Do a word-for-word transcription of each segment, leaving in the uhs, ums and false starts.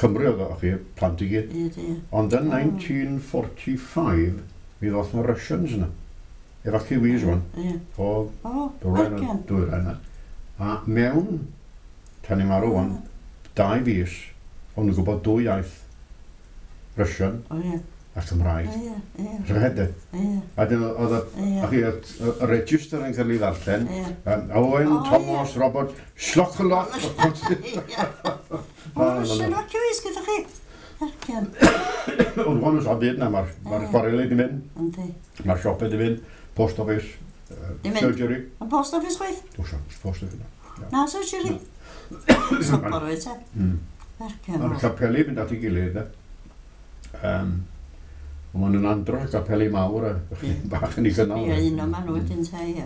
Cymru oedd o, chi, plant i gyd. Ie, ie. Ond yn naintîn forty-five, mi ddoth na Russians yna. Evacuees wan. Ie. O O, dwyrain, Argian. dwyrain yna. A mewn, tan i marw wan, dau fis, o'n nhw'n gwybod dwy iaith, Russian O, ie. a Cymraeg. Ie, ie. Rhyfedd, de. Ie, A dyn oedd y, ie. a chi, y, y register yn cael ei ddarllen. Ie. Um, Owen, O, Thomas, Robert, Slocoloc. Ie. O, Russian evacuees gyda chi. Argian. Ond wan oes byd na, mae'r ma Ie. chwareli di mynd, Yndi. mae'r siopau di mynd, post office, uh, Di mynd? surgery. Yn post office chwaith? Oes, post office. Na, surgery. Sobor wyt, e? Mm. Argian. Mae'r capeli mynd at ei gilydd, de. Um, Ond maen nhw'n andros o capeli mawr a Ie. bach yn ei gynnal. Ie, un o maen nhw wedyn te, ie.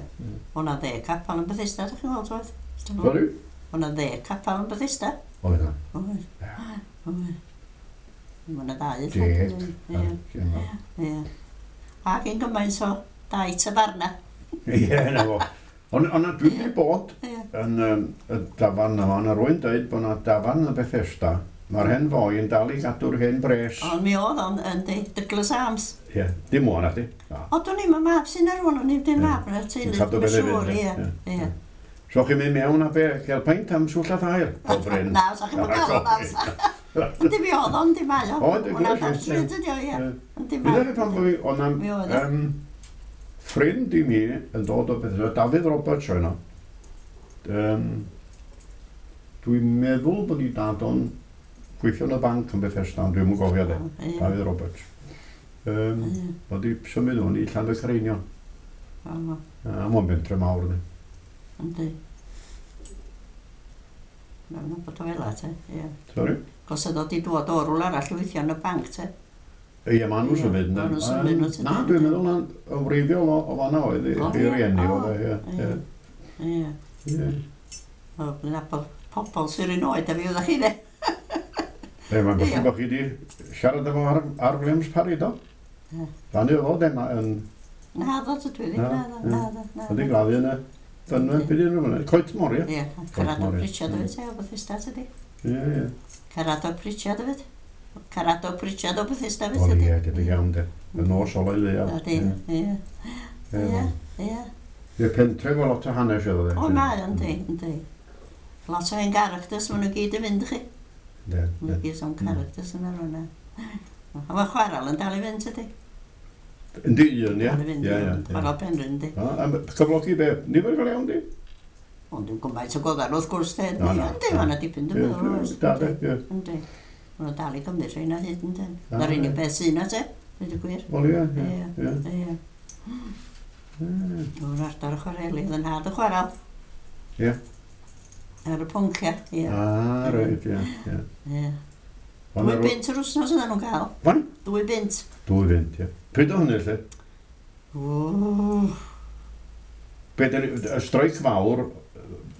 O'na ddeg capel yn Bethesda, ydych chi'n gweld, oedd? Sorry? O'na ddeg capel yn Bethesda. Oedd na. Oedd. Oedd. Mae 'na ddau. Deg. Ie, Ie, ie. Ac un gymaint o dau tafarna. Ie, na fo. Ond ond dwi wedi bod Ie. yn um, y dafarn yma, yna rwy'n dweud bod yna dafarn yn Bethesda, mae'r hen foi yn dal i gadw'r hen bres. Ond mi oedd o'n, yndi, Douglas Arms. Ie, dim o'n di. Na. O, dwi'n i'n mab sy'n ar hwn, o'n i'n dim Ie. mab yn y teulu. Yn cadw Dwi'n beth i siŵr, fynd, ie. ie. Ie. So chi'n mynd mewn a be, cael peint am swll a thair? O Bryn. Na, sa chi'n cael o, na, sa. Yndi mi oedd o'n, di mae o. O, yndi, Hwnna gwrs, ar ie. stryd ydi o, ie. Ie. Yndi Mi mae. ddweud pan bod fi, o'na Mi oedd o. um, ffrind i mi yn dod o Bethesda, Dafydd Roberts oedd yno. Um, dwi'n meddwl bod i dad o'n gweithio yn y banc yn Bethesda, ond dwi'm yn gofio de. O, ie. Dafydd Roberts. Um, Ie. Bod i symud hwn i Llanfaircareinion. O, A mae'n bentre mawr, yndi. Yndi. Mae'n bod o fel te, ie. Sorry? Cos oedd o di dod o rwle arall i weithio yn y banc, te. Ie, maen nhw'n Ie, symud, yndyn. ma' nhw'n symud nhw, tydyn. Na, dwi'n meddwl na yn wreiddiol o, o fanna oedd i O, i ie. rieni O, oedd e, ie. ie. Ie. Ie. Ie. O, dwi'n nabod pobl sy'n un oed a fi oeddech chi, de. E, mae'n bosib Ie. bod chi di siarad efo ar, ar Williams Parry, do? Ie. Fan i oedd o, dem, yn, Na, ddo, dwi ddim, Na, na, ddo, ie. na, ddo, na. Ydy gladdu yn y fynwent, beth yw'n rhywun? Coetmor, ie? Ie, Caradog Coetmor, ie. Pritchard hefyd, te, o Bethesda, tydi. Ie, ie. Caradog Pritchard hefyd. Caradog Pritchard o Bethesda hefyd, O, tydi. ie, debyg iawn, de. Y nos ola i leia. Ydy, ie. Ie, ie. Ie, pentre efo lot o hanes iddo, de. O, mae, yndi, yndi. Lot o hen characters, maen nhw gyd yn fynd, chi. De, Maen de. nhw gyd o'n characters yn ar hwnna. A mae chwaral yn dal i fynd, tydi? Yndi, un, ie. Dal i fynd, Ie, ie. Chwaral Penrhyn, yndi. A, a cyflogi be? Nifer go iawn, di? Ond dwi'n gymaint o goddan wrth gwrs, de. Na, na, Yndi, na. mae yna dipyn, dwi'n Ie, meddwl, oes. da, de, ie. Yndi. Maen nhw'n dal i gymryd rhain o hyd, yndi. Na, Na'r unig ie. beth sy'n na, te. Dweud y gwir. Wel, ie, ie. Ie, Ie. ie. Ie. O'r ardal y chwareli, oedd yn nhad y chwaral. Ie. Ar y poncia, ie. Ah, reit, ie, ie. Ie. Ond Dwy ar- bunt yr wsnos oedden nhw'n cael. Faint? Dwy bunt. Dwy bunt, ie. Pryd o hynny, lle? Ww. Be, dyn- y streic fawr,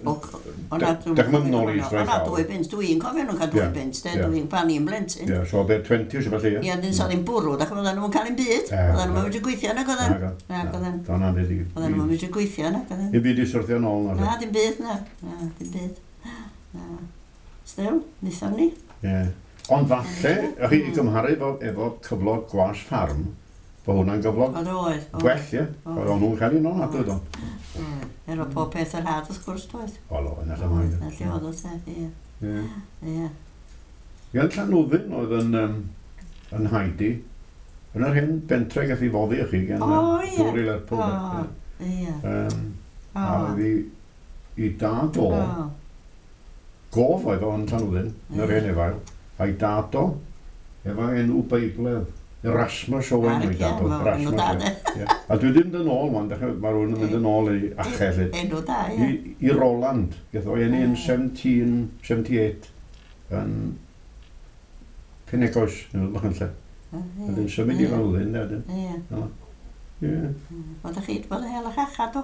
O, o na, Dech- dech chi'n mynd nôl i O streic na, fawr? dwy bunt. Dwi'n cofio nhw'n cael dwy Ie, bunt, de. ie. Dwi'n pan i'n blentyn. ie, so be, twenties o felly, ie? Ie, dyn so ddim bwrw, dach oedden nhw'n cael un byd. Ie, Oedden nhw'n medru gweithio nag oedden. Nago. Nag oedden. Do, na, byd i... Oedden nhw'n medru gweithio nag oedden. I byd i syrthio nôl, na. Na, dim byd, na. Na, dim byd. Na. Still, wnaethon ni. Ie. Ond falle, ych chi i gymharu efo, efo cyflog gwas ffarm, bod hwnna'n gyflog Oedd oedd. oedd. gwell, ie? Oedd. Oedd nhw'n cael un o'n adwy, do. Oedd. Efo pob peth yr had, wrth gwrs, doedd. O, lo, yna lle mae. Na lle oedd o te, ie. Ie. Ie. Ie, yn Llanwddyn oedd yn, um, yn Heidi, yn yr hen bentre gath i foddi i chi gan O, yy, ie. dŵr i Lerpwl. O, de, ie. ie. Um, O. a oedd i, i dad o, O. gof oedd o yn Llanwddyn, yn yr Ie. hen efail, a'i dad o, efo enw Beibledd, Erasmus Owen o'i dad o. Argian, fawr, enw da, Erasmus, de. ie. Ie. A dwi ddim yn ôl, wan, dechrau, mae rhywun yn mynd yn ôl i achau, lle. Enw da, ie. I, i Roland, gath o eni yn seventeen seventy-eight yn Penegoes, yn ydych yn lle. Ie. Wedyn symud i Ie. Llanwddyn, de, wedyn. Ie. Ie. Oeddech chi wedi bod yn hel y chacha, do?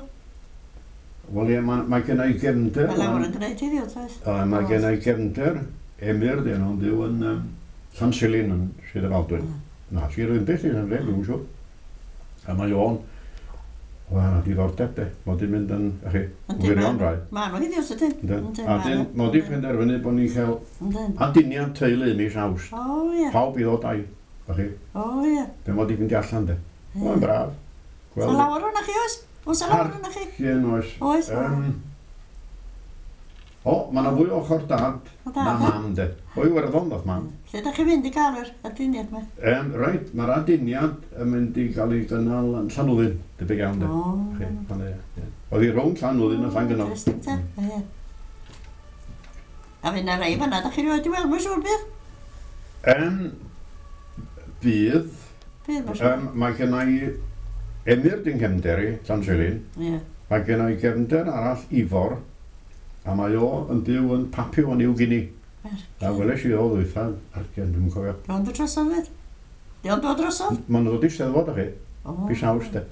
Wel ie, mae, mae gen i gefnder. Mae lawer yn gwneud heddiw, does? O, mae gen i gefnder, Emyr, dyn nhw'n byw yn um, Llansilin yn Sir Drefaldwyn. Mm. Na, Sir Ddinbych, yn lle, dwi'n siŵr. A mae o'n Wel, na diddordeb de. Mod i'n mynd yn, chi, wirion rai. Ma' nhw heddiw, sydyn. A dyn, mod i'n penderfynu bod ni'n cael aduniad teulu mis Awst. O, ie. Pawb i ddod a'i, chi. O, ie. Be mod i'n fynd allan, de. Mae'n braf. Sa lawer o'na chi, oes? Oes a lawer o'na chi? Argyn, oes. Oes. O, mae yna fwy ochr dad na mam, de. O Iwerddon, ddoth mam. Lle da chi'n mynd i gael yr aduniad yma? Um, reit, mae'r aduniad yn mynd i gael ei gynnal yn Llanwddyn, debyg iawn, de. O. Oedd hi rownd Llanwddyn a Llangynog. Interesting, te. Ie. A fydd na rei fanna, da chi rioed i weld, mae'n siŵr bydd? Um, bydd. Bydd, mae'n siŵr. Um, mae gen i Emyr dyn cefnder i, Llansilin. Ie. Mae gen i gefnder arall, Ifor. A mae o yn byw yn Papua New Guinea. A weles i o ddwytha, argen, dwi'n cofio. Dwi'n dod drosodd fyd? Dwi'n dod drosodd? Mae'n dod i Steddfod, a chi. Mis Awst, de.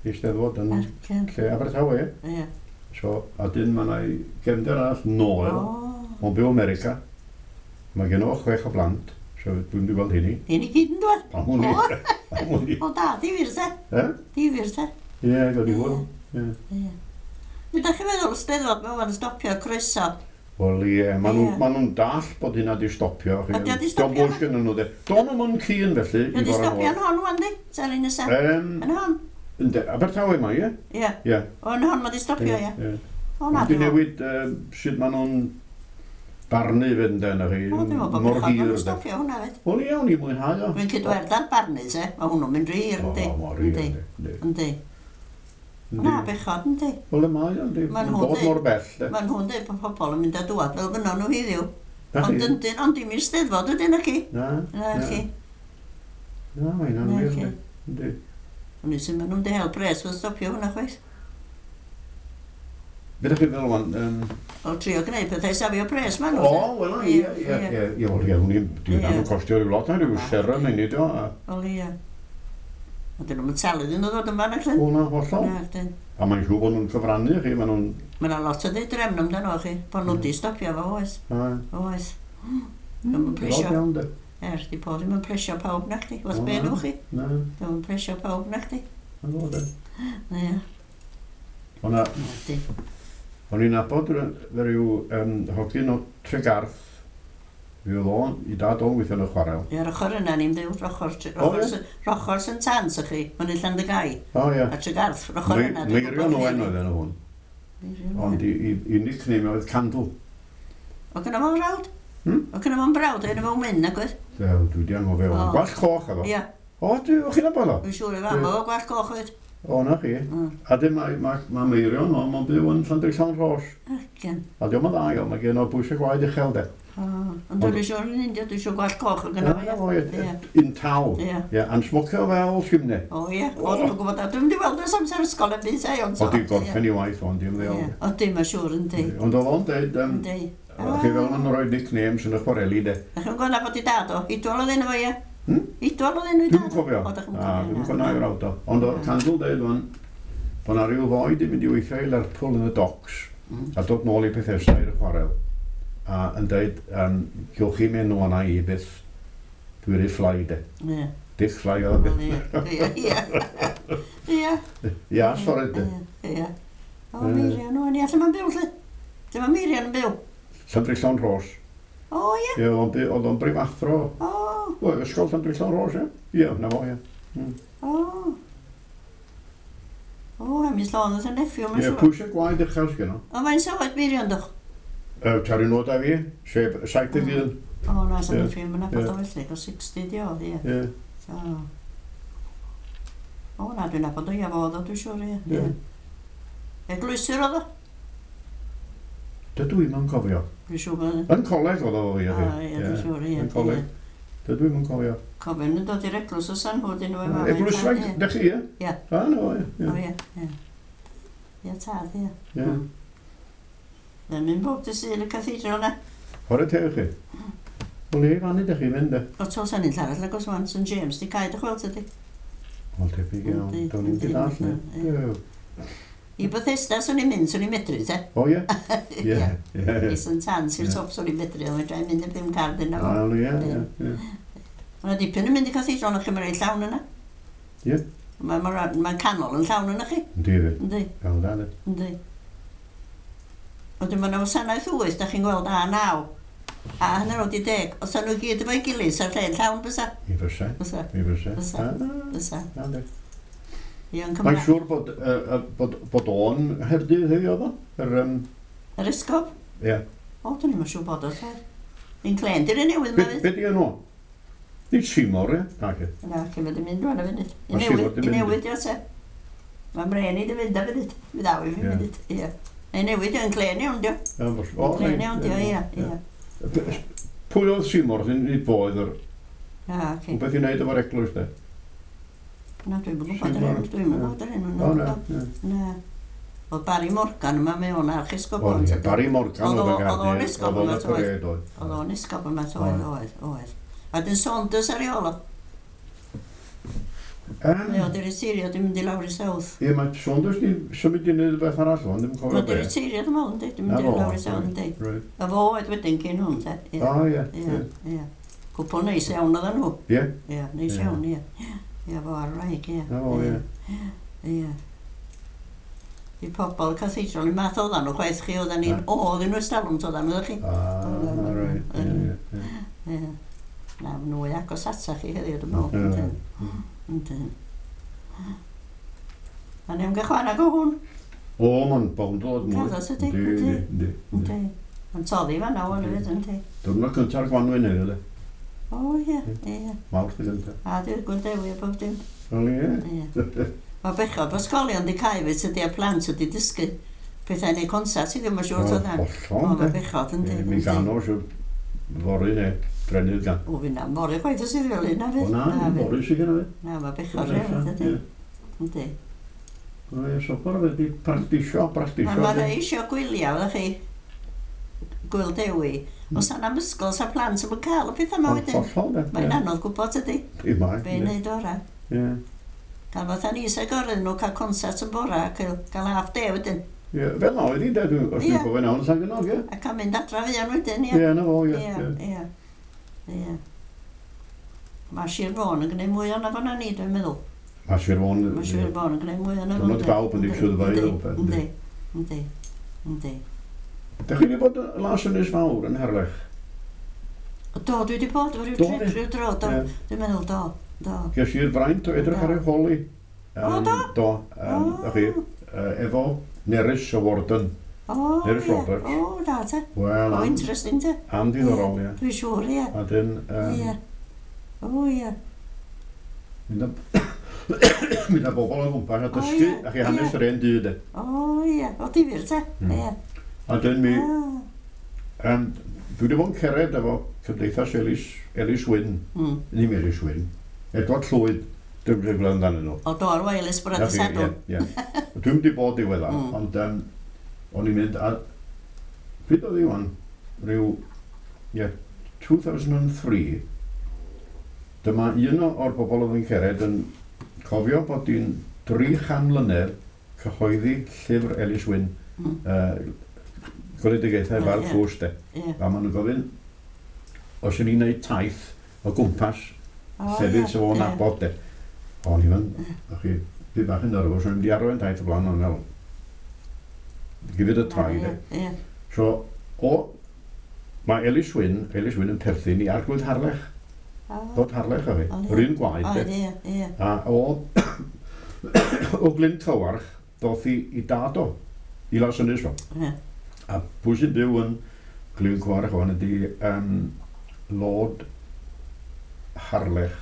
I Steddfod yn lle Abertawe, ie. Ie. So, a dyn mae yna gefnder arall, Noel. Mae'n byw America. Mae gen o chwech o blant, so dwi'n mynd i weld hynny. Hyn i gyd yn dod? Am hwn i. Am hwn i. O da, difyr te. E? Difyr te. Ie, gawn ni hwyl. Ie. Ydych chi'n meddwl Steddfod mae o'n stopio croeso? Wel ie, maen nhw'n ma nhw dall bod hynna di stopio. Ydy o di stopio? Diolch bwys gyda nhw de. Do'n nhw'n cyn felly. Ydy di stopio yn hon wan di? Sari nesa? Um, yn hon? Ynde, Abertawe mae, ie? Ie. Ie. O, yn hon mae di stopio, ie. Ie. O, na, Di newid uh, sut maen nhw'n barnu fynd yna chi. O, dwi'n meddwl bod mor bechod hir. maen nhw'n stopio hwnna fyd. Wel ie, o'n i mwynhau o. Dwi'n cydwerth ar barnu, se. Mae hwnnw'n mynd rhy hir, yndi? O, mor hir, yndi. Yndi. Na, bechod, yndi. Wel, y mae, yndi. Ma'n Mae'n dod mor bell, de. Ma'n nhw'n dweud bod pobl yn mynd a dŵad fel fynnon nhw heddiw. Na Ond chi? yndyn, ond dim i'r Steddfod ydyn chi. Na, Na chi. Na, mae hynna'n Na wir, chi. yndi. Yndi. O'n i sy'n maen nhw'n hel pres wrth stopio hwnna chwaith. Be ydych chi'n feddwl wan? Um, O, trio gwneud pethau safio pres maen nhw. o, wel, ie, ie, ie, ie, wel, ie, hwn i'n, Ie. dwi'n costio rhyw lot, na, rhyw seren neu nid o. a- Wel, ie. Ond dyn nhw'n talu iddyn nhw ddod yma, nag ydyn? O, na, hollol. Na, dyn. A mae'n siŵr bod nhw'n cyfrannu chi, maen nhw'n... Mae yna lot o ddeud amdano chi, bod nhw di stopio fo, oes. A, Oes. Dwi'm yn lot plesio. iawn, de. Er, di bod ddim yn plesio pawb na chdi. Wrth O, be na. nhw chi. Na, Dwi'm yn plesio pawb na chdi. na fo, de. Ie. O, na, Na, di. o'n i'n nabod rhyw um, hogyn o Tregarth, fi oedd o'n, i dad o'n weithio yn y chwarel. Ie, yr ochr yna ni'n byw, rochr, O, rochr, ie? rochr Saint Anne's ych chi, fyny Llandygai, O, ie. a Tregarth, rochr yna. dwi'n Meirion gwbod Owen hynny. oedd enw hwn. Meirion Ond Owen. i, i, i nickname oedd Candle. O gynna fo'n brawd? Hmm? O gynna fo'n brawd, enw fo'n Wyn, nag oedd? Dew, dwi di anghofio. O. Gwallt coch efo. Ie, O, dwi, o chi'n nabod o? dwi'n siŵr ei fam o gwallt coch oedd. O, na chi. Mm. A dim mae, mae, mae Meirion, o, mae'n byw yn Llandrillo'n Rhos. Argen. A diolch yn dda iawn, mae gen o bwysau gwaed uchel, de. O, ond dwi'n siŵr yn India, dwi'n siŵr gwallt coch o gynna Na, fo, fo, ie. ie, Ie. un tal. Ie. Ie, a'n smocio fel simne. O ie, o dwi'n gwybod, a dwi'n mynd i weld ers amser ysgol yn byd, e, ond O, di gorffen i waith, ond dim Ie, ddeol. o dim, mae'n siŵr, yndi. Ond oedd o'n deud, um, Yndi. chi fel ma'n rhoi nicknames yn y chwareli, de. Da chi'n gwybod nabod i dad o? Idwal oedd enw fo, ie? Hmm? Idwal oedd enw i Dwi'm dad yn cofio. O, da chi'n Na, cofio. dwi'm yn cofio na i frawd o. Ond oedd Candle deud wan, bod na ryw foi di mynd i weithio i Lerpwl yn y docks, Mm. a dod nôl i Bethesda i'r chwarel, a yn deud, um, gewch chi menw yna i byth, dwi'n rhy fly de. Ie. Dick Fly oedd Wel, Ie, ie, ie. Ie. Ia, sori de. Ie, ie. O, Meirion, o, ni allan ma'n byw, lle. Lle mae Meirion yn byw? Llandrillo'n Rhos. O, ie. Ie, oedd o'n by- oedd o'n brifathro. O, O, ysgol Llandrillo'n Rhos, ie? Ie, na fo, ie. o. O, Hemis Lôn oedd yn nephew, mae'n Ie, siŵr. pwysau gwaed uchel sgynno. O, faint o oed Meirion, dwch? Yy, Ta'r un oed â fi, sef saith deg un. O, na, sa'n Ie, nephew, mae'n nabod ie. o felly, o sixty di o, ie. Ie. O. O, na, dwi'n nabod o, ia, fo oedd o, dwi'n siŵr, ie. Ie. Ie. Eglwyswr oedd o? Dydw i'm yn cofio. Dwi'n siŵr bod... Yn coleg oedd o, ie. O, ie, dwi'n siŵr, ie. Yn coleg. Dydw i'm yn cofio. Cofio yn dod i'r eglwys o San Hwd unwaith mam. Eglwyswraig, dych chi, ie? Ie. A, no, ie. O, Ie. ie, ie. Ie, tad, ie. Ie. Mae'n mynd bob dydd Sul y cathedral na. Chwarae teg i chi. Wel, ie, fan ydych chi'n mynd, de. O, to sa'n un arall, agos wan, Saint James, di cael dy chweld ydi. Wel, tebyg iawn. Yndi, Do'n i'm yndi, di dall, ne. ie. Ie. I Bethesda, swn i'n mynd, swn i'n medru, te. O, ie? Ie, ie, I ie. Saint Anne's, i'r Ie. top, swn i'n medru, ond fedra i mynd y pum card yna fo. Wel, ie, ie, ie. Mae 'na dipyn yn mynd i cathedral, ond chi'n reit llawn yna. Ie. Mae'n ma, ma canol yn llawn yna chi. Yndi fi. Yndi. Iawn da, yndi. Yndi. Wedyn mae yna wasanaeth wyth, da chi'n gweld a naw. A hanner wedi deg. Os nhw gyd efo'i gilydd, sa'r lle'n llawn bysa. Mi fysa. Bysa. Mi fysa. Fysa. Bysa. Yndi. Ie, yn Mae'n Cymraeg. siŵr bod, uh, bod, bod o'n Nghaerdydd heddiw oedd o? Yr, um, Yr esgob? Ie. O, dyn ni'n siŵr bod o, sa'r. Un clen, di'r un newydd Be, ma fydd. be di enw? Nid Seymour, ie? Na, ci. Na, cyn mynd i mynd rwan a funud. I Ma' Seymour newid, di i mynd. newid, ia, te. Mae mren i di fynd a funud. Mi ddaw i fi Ie. funud, ie. Neu newid, yn clen iawn, dio. Ie, bos- o, Clen reit, iawn, dio, ie, ie. Be- Pwy oedd Seymour? Nid fo oedd yr... A, ci. Beth i wneud efo'r eglwys, de? Na, dwi'n gwybod yr Seymour, enw, dwi'n ie. gwybod yr enw. O, na, ie. Na. Oedd Barry Morgan yma, mae o'n archesgob. O, ie, Barry Morgan Oedd oedd o- yn oedd o'n Gaerdydd. esgob Oedd o'n yma, y parade, oedd. Oedd o'n esgob yma, oedd, oedd, oedd. A dyn Saunders ar ei ôl o. Yym, Mae o di reteirio, dwi'n mynd i lawr i South. Ie, mae Saunders di symud i wneud rhywbeth arall, ond ddim yn cofio Mae di be. reteirio, dwi'n meddwl, yndi? Dwi'n Na mynd i fo, lawr i South, yndi? Reit. A fo oedd wedyn cyn hwn, te. Ie, O, ie, ie, ie. ie. Cwpl neis iawn oedden nhw. Ie, Ie, neis Ie. iawn, ie. Ie, fo ar wraig, ie. na fo, ie. Ie. I pobl cathedral, i math oedden nhw, chwaith chi, oedden ni'n... Na. O, oedden nhw ystalwm, oedden nhw, chi. Ah, reit, ie, ie, ie. Ie. Na, maen nhw agos ata chi heddiw, dwi'n meddwl. Ie. Yndyn. Yndyn. A ni'n gael chwarae go hwn. O, mae'n bownd o mwy. Cadw, ydi, Yndi, yndi. yndi, yndi. Yndi. Mae'n toddi fan'na, wan hefyd, yndi. Diwrnod cynta'r gwanwyn heddiw, de. O, ie, ie. Mawrth y gyntaf. A dwi'n Gŵyl Dewi a bob dim. Wel, ie. Ie. Mae bechod bod ysgolion di cau fyd tydi a plant ydi dysgu pethau neu concert i ddim yn siŵr tyddan. Hollol, O, mae de. bechod yndi. Ie, Mi gan o siwr fory neu drennydd gan. O, fi na, fory chwaith os ydi fel un na O fydd. na, fydd. fory sydd gyda fi. Na, mae bechod rhywbeth ydi. Yndi. O, ie, sopor fe di practisio, practisio. Mae ma rhai eisiau gwyliau, ydych chi, Gŵyl Dewi. Os yna am ysgol, sa plant yn cael y pethau yma wedyn. Hollol, de. Mae'n anodd gwybod ydy, I mae. be i wneud ora. Ie. Cael fatha ni sy'n gorau nhw cael concert yn bora a cael, cael half day wedyn. Ie, fel na oedd hi, de, dwi- os Ie. dwi'n cofio'n iawn, Llangynog, ie. A cael mynd adra fuan wedyn, ie. Ie, na fo, ie. Ie, ie. ie. Ie. Mae Sir Fôn yn gwneud mwy o'na fo na ni, dwi'n meddwl. Mae Sir Fôn... Mae Sir Fôn yn gwneud mwy o'na fo. Diwrnod bawb yn swyddfa i rywbeth, Yndi, yndi. yndi, yndi. Dach chi wedi bod yn Las Ynys Fawr yn Harlech? O, Do, dwi wedi bod efo ryw Do, trip, di? ryw dro, do. Ie. Dwi'n meddwl, do, do. Ges i'r fraint o edrych Do. ar ei holi. O, do? Do. Um, O. chi, uh, efo Nerys y Warden. O, Nerys ie. Roberts. O, da te. Wel, O, am, interesting te. am diddorol, ie. Dwi'n siŵr, ie. A dyn, um, Ie. O, ie. mynd â mynd â bobl o gwmpas a O, dysgu, ie, a chi hanes ie. yr hen dŷ, de. O, ie. O, difyr te. Mm. Ie. A dyn mi, Ah. um, dwi wedi bod yn cered efo Cymdeithas Elis, Elis Wyn, Mm. ddim Elis Wyn, Edward Llwyd, dwi'n mynd i amdanyn nhw. O, do, ar Wireless bore Na dy fi, Sadwrn. Ie, ie. Dwi'n mynd i bod diweddar, Mm. ond um, o'n i'n mynd a... Pryd oedd hi wan? Rhyw, ie, two thousand and three, dyma un o- o'r bobl oedd yn cered yn cofio bod hi'n dri chan mlynedd cyhoeddi llyfr Elis Wyn, Mm. uh, Gweledigaethau Ie, Bardd ie. Tlws, de. Ie. A maen nhw'n gofyn, os ydyn ni'n gwneud taith o gwmpas O, llefydd ie, sydd o'n ie. nabod, de. O'n i fan, o'ch chi, fi bach yn nervous, o'n i'n mynd i arwain taith o blaen, o'n meddwl, give it a try, de. Ie, ie. So, o, mae Elis Wyn, Elis Wyn yn perthyn i Arglwydd Harlech, O, dod Harlech o fi, O, ie. yr un gwaed, O, de. ie, ie. A o, o Glyn Cywarch, doth i, i dad o, i Las Ynys fo. Ie. A pwy sy'n byw yn Glyn Cywarch o'n ydi um, Lord Harlech,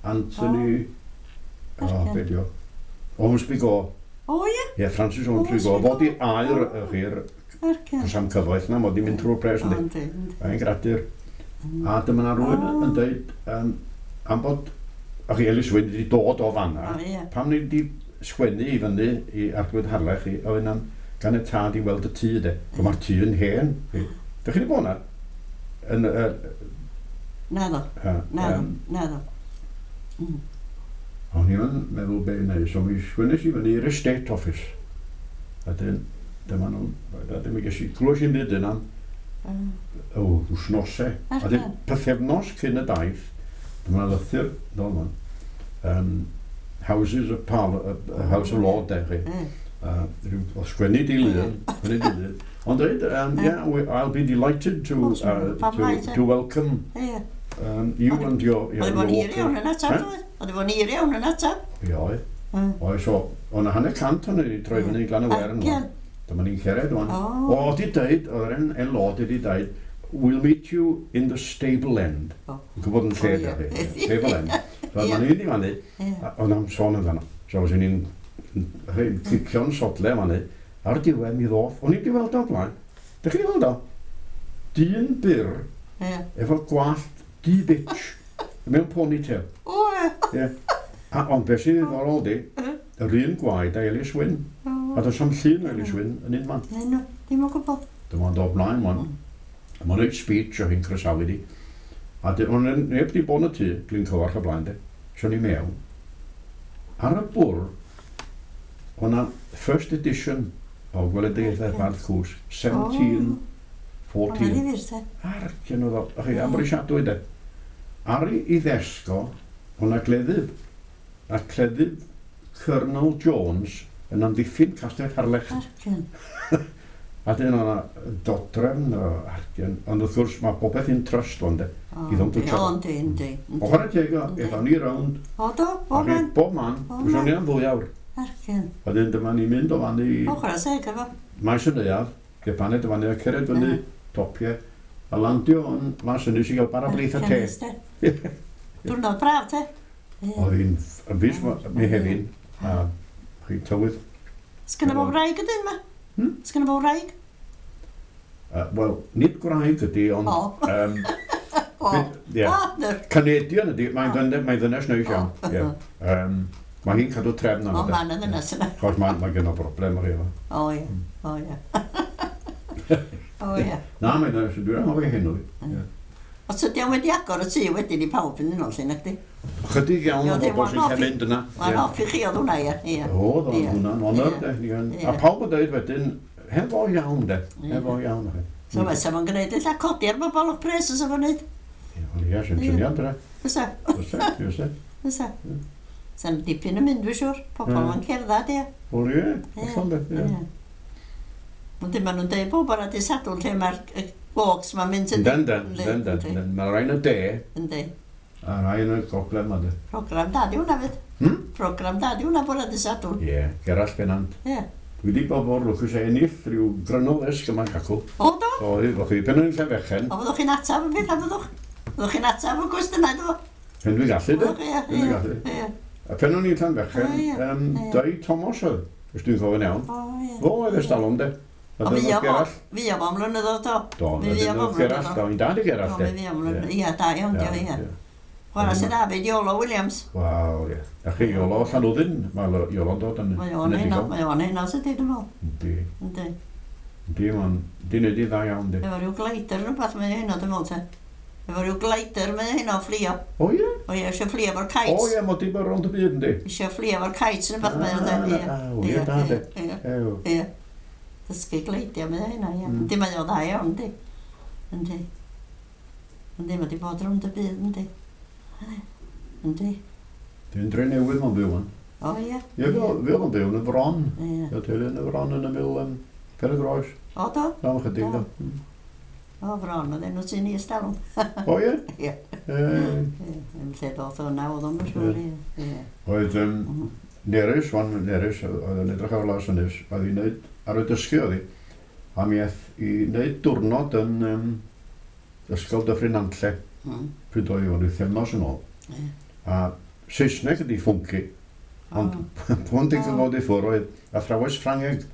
Anthony, o, Argan. oh, be di o? Ormsby Gore. O, ie. Ie, Francis Ormsby Gore. Ormsby Fod i Gore. air, y chi'r, Argan. cos am cyfoeth na, mod i'n mynd trwy'r pres, O, yndi. yndi, yndi. Mae'n gradur. A dyma na rhywun O. yn dweud um, am bod, a chi Elis Wyn wedi dod o fanna, O, ie. pam ni wedi sgwennu i fyny i Arglwydd Harlech i ofyn am gan y tad i weld y tŷ, de. O, mae'r tŷ yn hen. Dych chi wedi bod na? Yn, uh, Naddo, uh, naddo, um, naddo. Mm. O'n i'n meddwl be i wneud, so mi sgwennes i fyny i'r estate office. A dyn, dyma nhw, a dyn mi ges i, glwys i'n byd yna, Ah. o, wsnosau. A dyn, Argan. pythefnos cyn y daith, dyma lythyr, ddol man, um, Houses of Parl uh, House of Lord, de, chi. Ie. Uh, rhyw, o sgwennu di lun, sgwennu di lun. Ond dweud, um, yeah, we, I'll be delighted to, O, uh, pam to, lai, te? to welcome Ie. um, you and your, your, Oedd your fo'n hir iawn yn atab, Eh? oedd? Oedd fo'n hir iawn yn atab. Ie, oedd. Mm. Oedd, so, o'na hanner cant o'n i troi fyny i Glan y Wern. Argen. Dyma ni'n cered wan. O. O, di deud, oedd yr en, en lord wedi deud, "We'll meet you in the stable end." O. Yn gwybod yn lle O, ie. da chi. Stable end. So, Ie. ma'n ni'n mynd i fanny, Ie. a oedd am sôn amdano. So, os ni'n cicio'n sodle fanny, ar diwedd mi ddoth, o'n i wedi weld o blaen. Dych chi wedi weld o? Dyn byr, Ie. efo gwallt du bitch, mewn ponytail. O, ie. Ie. A, ond beth sy'n ddiddorol di, yr un gwaed a Elis Wyn. A does am llun o Elis Wyn yn un man. Neu nhw, ddim yn gwybod. Dyma o'n dod mlaen wan. A mae'n neud speech o hi'n croesawu di. A di, o'n neb di bod yn y tŷ, dwi'n cyfarch o blaen de. So ni mewn. Ar y bwrdd, o'na first edition o Gweledigaethau'r Bardd Cwsg, seventeen fourteen. O'n ddifyr, te. Argen oedd o, chi, amhrisiadwy de. Ar ei i ddesg o, o'na gleddyf. A cleddyf Colonel Jones yn amddiffyn Castell Harlech. Argen. A dyn o'na dodrefn o argen. Ond wrth gwrs mae popeth in trust o'n de. O, I ddom twtsio. O, yndi, yndi. O chwarae teg o, Yndi. aethon ni rownd. O, do, A bob chi, man. bob man. Bob Fyswn man. ni am ddwy awr. Argen. A dyn dyma ni'n mynd o fan i O, chwarae teg efo. Maes y Neuadd, Gepaned o fan i a cered fyny, Ie. topiau, a landio yn Las Ynys i gael bara brith a te. te. Diwrnod braf, te. Ie. Oedd hi'n yn fis Mehefin, a chi tywydd. Sgynna fo wraig ydyn ma? Hmm? Sgynna fo wraig? Uh, Wel, nid gwraig ydy, ond O. Um, O. Ie. O, nyr. Canadian ydy, mae'n ddynes, mae'n ddynes neis iawn. O. Ie. Um, mae hi'n cadw trefn O, arno de. ma'n y ddynes yna. Chos mae, mae gen o broblem ar efo. O, ie. O, ie. O, ie. Na, mae'n ddynes, dwi'n anghofio henw. Ie. Os ydy o'n wedi agor y tŷ wedyn i pawb yn unol, lle, nacdi? Chydig iawn o Ie, bobl sy'n one-off cael i- mynd yna. One off i chi oedd hwnna, ie. Ie. Oedd, oedd Ie. hwnna'n honor, Ie. de. Ni yn- Ie. A pawb yn dweud wedyn, hefo iawn, de. Ie. Hefo iawn. de. So fysa fo'n gwneud illa codi ar bobl o'ch pres os fo'n neud. Ie, wel, ie, sy'n Ie. syniad, de. Fysa, Fysa, fysa. fysa. Sa'n dipyn yn mynd, dwi'n siŵr. Pobl Ie. ma'n cerdded, ie. Wel, ie, Ie. hollol, de. Ie. Ie. Ond dim maen nhw'n deud bob bora dydd Sadwrn lle mae'r y walks ma'n mynd Ynden, ynden, Yndi, ynden, yndi. ynden. Mae rhai yn y de, Yndi. a rhai yn y gogledd ma, de. Program da di hwnna fyd. Hmm? Program da di hwnna bora dydd Sadwrn. Ie, Gerallt Pennant. Ie. Dwi wedi bod mor lwcus a ennill rhyw gryno ddesg yma'n cacw. O, do? O, o chi, pen o'n i'n Llanfechen, O, fyddwch chi'n atab y pethau, fyddwch? Fyddwch chi'n atab y gwestiynau, do? pen dwi'n gallu, de. Fyddwch, ie, Pen dwi'n ie, gallu. ie. A pen o'n i'n Llanfechen, O, ie, um, ie. Dai Thomas oedd, os dwi'n cofio'n iawn. O, ie. Fo oedd ystalwm, de. A O, dyna fi o fo, Gerallt. fi o fo am flynyddoedd, do. Do, Mi a fi o dyna fo Gerallt, do, i'n dad i Do, Gerallt, de. mi fi am flynyddoedd. Ie, da iawn, dio, ie. Chwarae sydd David Iolo Williams. Wel, ie. A chi, Iolo Llanwddyn, mae Iolo'n dod yn Mae o'n heno, mae o'n heno sydd dwi'n meddwl. Yndi, Yndi. yndi, mae'n, di wneud i dda iawn, di. Efo rhyw glider rhywbeth mae o heno, dwi'n meddwl te. Efo rhyw glider mae o heno fflio. O ie? O ie, eisiau fflio efo'r kites. O ie, mod i bod rownd y byd, yndi? Eisiau fflio efo'r kites neu beth mae o de. Ie. Ah, o ie, da, de. Ie, Ew. ie. Dysgu gleidio mae o heno, ie. Mm. Yndi, mae o dda iawn, yndi. Yndi. Yndi, mae di bod rownd y byd, yndi. Yndi. Dwi'n dre newydd mae'n byw yn. O ie. Ie, fe fe oedd o'n byw yn y Fron. Ie. Ie, teulu yn y Fron yn ymyl um, Pen y Groes. O do? Am chydig, do. O, Fron, oedd enw ti'n i ystalwm. O ie? Ie. Ie. Ie, yn lle ddoth o na, oedd o'n siŵr, ie. Ie. Oedd um, Mhm. Nerys, wan Nerys, oedd yn edrych ar Las Ynys, oedd hi'n neud, ar y dysgu oedd hi, a mi aeth i wneud diwrnod yn um, Ysgol Dyffryn Nantlle, Mm. pryd oedd hi fod wythefnos yn ôl. Ie. A Saesneg ydi ffwnci, ond pwn di'n O. ddod i ffwrdd oedd athrawes Ffrangeg.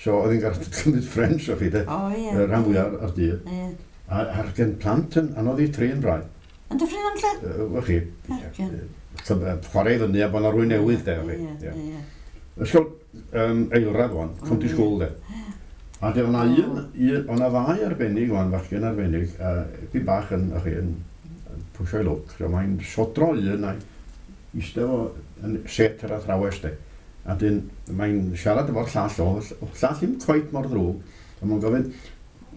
So oedd hi'n gorfod cymryd French o chi de, O, ie. y rhan fwyaf ar dydd. Ie. A a'r gen plant yn anodd i trin rai. Yn Dyffryn Nantlle? Yy, Wel chi, Argen. yy, chwarae i fyny a bod 'na rywun newydd de, chi. Ie, Ie. ie. Ysgol um, eilradd wan, County Mm. School de. A de, o'na O. un, un, o'na ddau arbennig wan, fachgen arbennig, a uh, bach yn, ych chi, yn, yn pwsio'i lwc. So mae'n sodro un a'i eistedd fo yn set yr athrawes de. A dyn, mae'n siarad efo'r llall o, o llall ddim cweit mor ddrwg, a mae'n gofyn,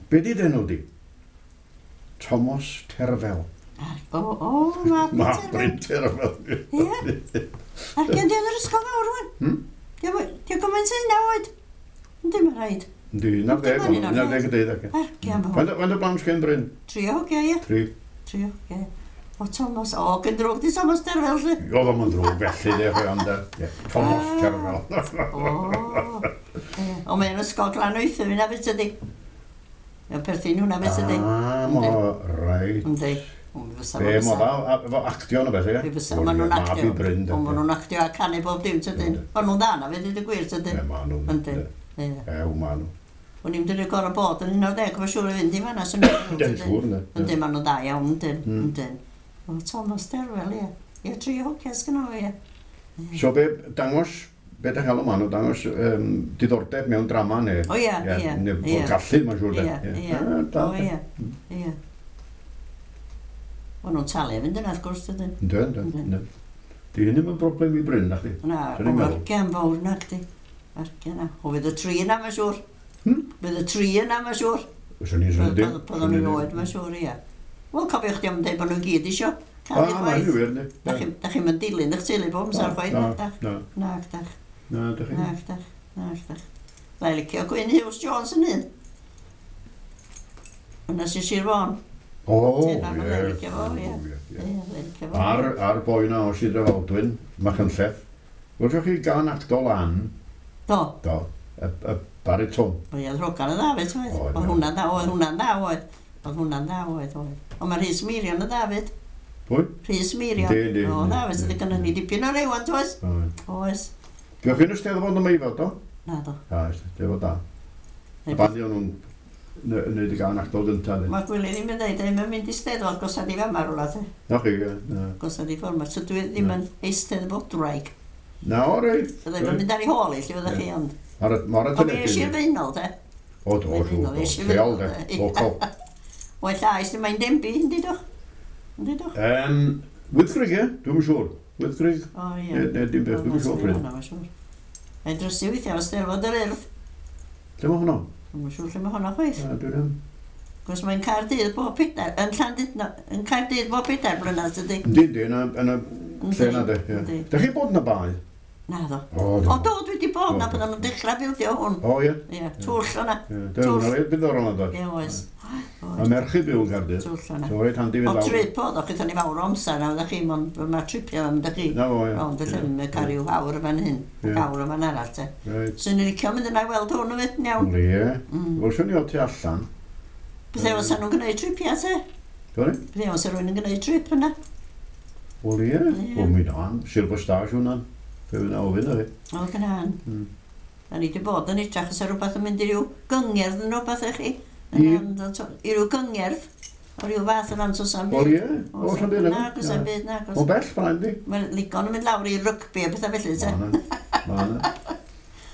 "Be di d'enw di?" "Thomas Terfel." O, o, ma' Ma' Bryn Terfel. Ie. Ac yn di yn yr ysgol fawr rwan? Hmm? Di o gymaint hynna oed? Yndi, mae'n rhaid. Yndi, un ar ddeg, un ar ddeg y deuddeg. Argian fawr. Faint o blant sgen Bryn? Tri o hogia, ie. Tri. Tri o hogia. O, Thomas, o, gyn drwg di Thomas Terfel, lly. Oedd o'm yn ddrwg felly, de, chwe, ond, ie, Thomas Terfel. O, ie. O, mae'n ysgol Glanoethwy yna beth ydi. Mae'n perthyn hwnna beth ydi. Ah, mo, reit. Yndi. Be, mo dda, efo actio na beth, ie? Fe fysa, maen nhw'n actio. Mab i Bryn, de. Maen nhw'n actio a canu bob dim, tydyn. Maen nhw'n dda na, fe dweud y gwir, tydyn. Ie, maen nhw'n. Yndyn. Ew, maen nhw. O'n i'n dweud gorau bod yn un o'r deg, mae'n siŵr i fynd i fanna, swn i'n Yndyn, siŵr, yndyn. Yndyn, maen nhw'n dda iawn, yndyn, yndyn. O, Thomas Terfel, ie. Ie, tri hogia sgynno fo, ie. So be, dangos, be da cael o maen nhw, dangos um, diddordeb mewn drama neu... O ie, ie. Neu bod gallu, mae'n siŵr, de. Ie, ie. O ie, ie. O'n nhw'n talu fynd yna, wrth gwrs, dydyn. Yndyn, yndyn, yndyn. Di hyn ddim yn broblem i Bryn, na chdi? Na, o argian fawr na, chdi. Argian na. O, fydd y tri yna, mae'n siŵr. Hmm? Fydd y tri yna, mae'n siŵr. Swn i'n swn i'n Byddwn nhw'n oed, mae'n siŵr, ie. Wel, cofiwch chdi am dweud bod nhw'n gyd isio cael Ah, mae'n wir, ne. Da chi'n mynd dilyn eich teulu bob amser chwaith, Na, na, na. Na, dach. Na, dach chi. Na, dach. Na, dach. Lai licio Gwyn Hughes Jones yn un. Hwna sy'n Sir Fôn. O, ie. Ie, Ar, ar boi na o Sir Drefaldwyn, Machynlleth. Welsoch chi gan acto lan? Do. Do. Y, y baritone. O ie, rogan yn dda, fyd, oedd. Oedd hwnna'n dda, oedd hwnna'n dda, oedd. Oedd hwnna'n dda, oedd, oedd. Ond mae Rhys Meirion yn dda, fyd. Pwy? Rhys Meirion. Yndi, yndi. O, dda, fyd, sydd gynnon ni dipyn o rewan, oes? Oes. Diolch chi'n Eisteddfod yma i fod, do? Na, do. Na, Eisteddfod da. A ban o'n nhw'n wneud y gan actol gyntaf. Mae Gwili ddim yn dweud, ddim yn mynd i Steddfod, gosod i fama rwla, te. Na chi, ie. Gosod i ffordd, so dwi ddim yn eisteddfodwraig. Na, o reit. Fydda i'm yn mynd ar ei hôl i, lle fyddech chi, ond... Ar y teledu. O, fi eisiau'r faenol, te. O, do, siŵr, lleol, de, local. Wel, llais, ddim mae'n Denbigh, yndi dwch? Yndi dwch? Um, Wyddgrug, ie, dwi'm yn siŵr. Wyddgrug. O, ie. Ne, ne, dim beth, dwi'm yn siŵr pryd. Mae'n siŵr. Mae'n drysu weithiau, o Steddfod yr Urdd. Lle mae hwnnw? Dwi'm yn siŵr lle mae hwnna chwaith. Na, dwi ddim. Cos mae'n Caerdydd bob pedair, yn Llandudno, yn Caerdydd bob pedair blynedd, tydi? Yndi, yndi, yn y lle yna, de. Yndi. Dych chi bod yn y bae? Na ddo. O, do. O, do, dwi wedi bod na, byddan nhw'n dechrau bildio hwn. O, ie. Ie, twll o'na. Twll. Dwi'n diddorol yna, Ie, oes. A merch i byw yn Caerdydd. Twll o'na. So, reit handi fynd O, lawr. trip oedd o, chithon ni fawr o amser na, oeddech chi, mae tripio am ydych chi. Na fo, ie. Rownd y llyn, mae cael rhyw awr yn fan hyn, ac awr yn fan arall, te. Reit. Swn i'n licio mynd yna i weld hwn yn fyd, yn iawn. Ie. Wel, swn i o tu allan. Beth os nhw'n gwneud tripia, te? Sorry? Beth os rhywun yn gwneud trip yna? Wel, ie. Wel, mi na, Silver Stars hwnna'n. Fe fydd na ofyn ar i. O, gynna'n. Mm. Da ni wedi bod yn edrach os rhywbeth yn mynd i ryw gyngerdd yn rhywbeth i chi. I? I ryw gyngerdd. O ryw fath yn antos am byd. Wel, ie. O, sa'n byd. Na, gos am byd, na. O bell, fan yndi. Mae'n ligon yn mynd lawr i rygbi a bethau felly, te. Ma' na. Ma' na.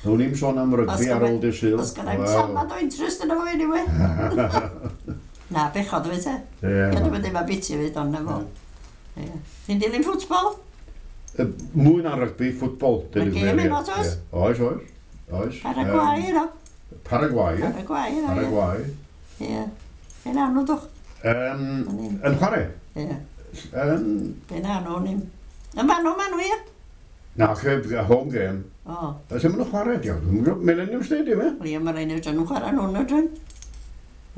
Nawn ni'm sôn am rygbi ar ôl dydd Sul. Os gynna i'm tamad o interest yna fo anyway. Na, bechod o fe, te. Ie. Ie, dwi'n mynd biti fyd, ond na fo. Ti'n dilyn ffwtbol? Mwy na rygbi, ffwtbol. Mae gêm heno, oes? Oes, oes. Oes. Paraguay, yno. Paraguay, ie. Paraguay, yno, ie. Paraguay. Ie. Be na nhw, dwch? Yn chwarae? Ie. Um, Be na nhw, ni'n... Yn fanno, ma nhw, ie? Na, home game. O. Lle maen nhw'n chwarae, diolch. Millennium Stadium, ie? Wel, ie, mae rhaid nhw'n chwarae nhw'n nhw'n.